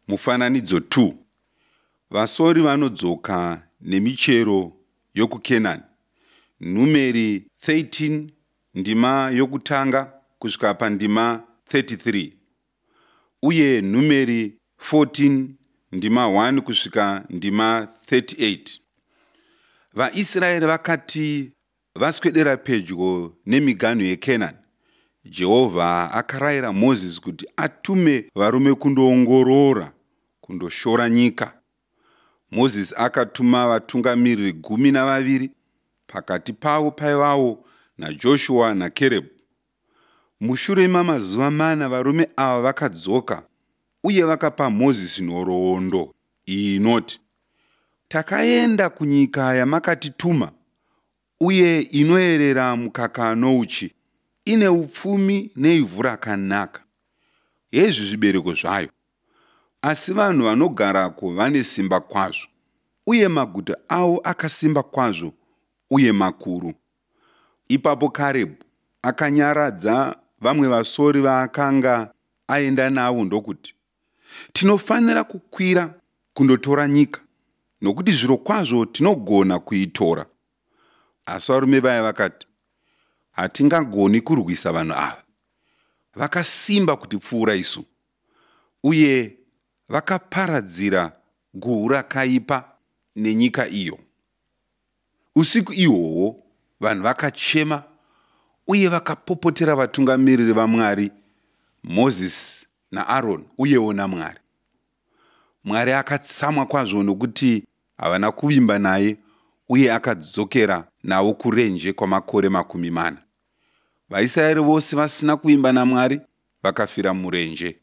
Mufananidzo 2. Vasori vanodzoka nemichero yokuKenani. Numeri 13 ndima yokutanga kusvika pandima 33 uye Numeri 14 ndima 1 kusvika ndima 38. VaIsraeri vakati vaswedera pedyo nemiganhu yeKenani, Jehovha akarayira Mozisi kuti atume varume kundoongorora, kundoshora nyika. Mozisi akatuma vatungamiriri 12, pakati pavo paivawo naJoshua naKerebhu. Mushure mamazuva mana varume ava vakadzoka uye vakapa Mozisi nhoroondo iyi inoti, Takaenda kunyika yamakatituma, uye inoerera mukaka nouchi, ine upfumi neivhu rakanaka. Hezvi zvibereko zvayo. Asi vanhu vanogarako vane simba kwazvo, uye maguta avo akasimba kwazvo uye makuru. Ipapo Karebhu akanyaradza vamwe vasori vaakanga aenda navo ndokuti, Tinofanira kukwira kundotora nyika, nokuti zvirokwazvo tinogona kuitora. Asi varume vaya vakati, Hatingagoni kurwisa vanhu ava. Vakasimba kutipfuura isu. Uye vakaparadzira guhu rakaipa nenyika iyo. Usiku ihwohwo vanhu vakachema uye vakapopotera vatungamiriri vaMwari, Mozisi naAroni uyewo naMwari. Mwari akatsamwa kwazvo nokuti havana kuvimba naye uye akadzokera navo kurenje kwamakore 40. VaIsraeri vose vasina kuvimba naMwari vakafira murenje.